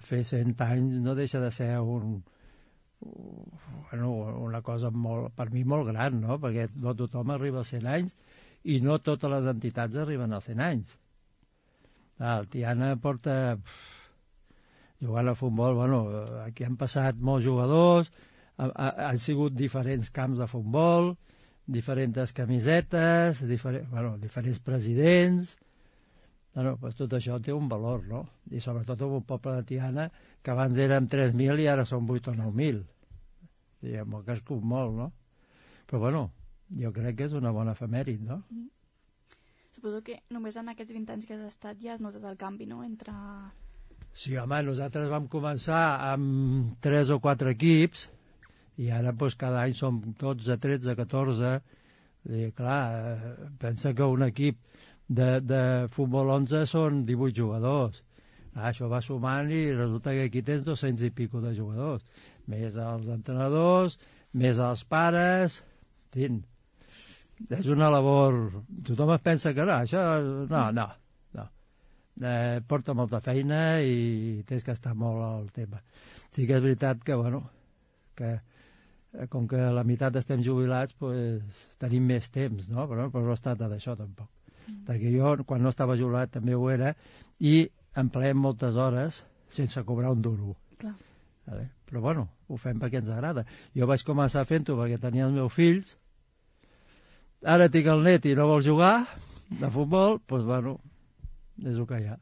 fer 100 anys no deixa de ser una cosa per mi molt gran, no? Perquè no tothom arriba als 100 anys i no totes les entitats arriben als 100 anys. El Tiana porta jugant a futbol, aquí han passat molts jugadors, han sigut diferents camps de futbol, diferents camisetes, diferents presidents. Pues tot això té un valor, no? I sobretot en un poble de Tiana que abans érem 3.000 i ara són 8 o 9.000. Diguem, que ha crescut molt, no? Però jo crec que és una bona efemèrit, no? Suposo que només en aquests 20 anys que has estat ja has notat el canvi, no? Sí, home, nosaltres vam començar amb 3 o 4 equips i ara cada any som 12, 13, 14. I clar, pensa que un equip de futbol 11 són 18 jugadors. Això va sumant i resulta que aquí tens 200 i pico de jugadors. Més els entrenadors, més els pares... En fi, és una labor... Tothom es pensa que no, això... No. Porta molta feina i tens que estar molt al tema. Sí que és veritat que, que com que la meitat estem jubilats, tenim més temps, no? Però no es tracta d'això, tampoc. Perquè jo, quan no estava jubilat, també ho era, i empleem moltes hores sense cobrar un duro. Clar. Però, ho fem perquè ens agrada. Jo vaig començar fent-ho perquè tenia els meus fills, ara tinc el net i no vol jugar de futbol, doncs, és el que hi ha.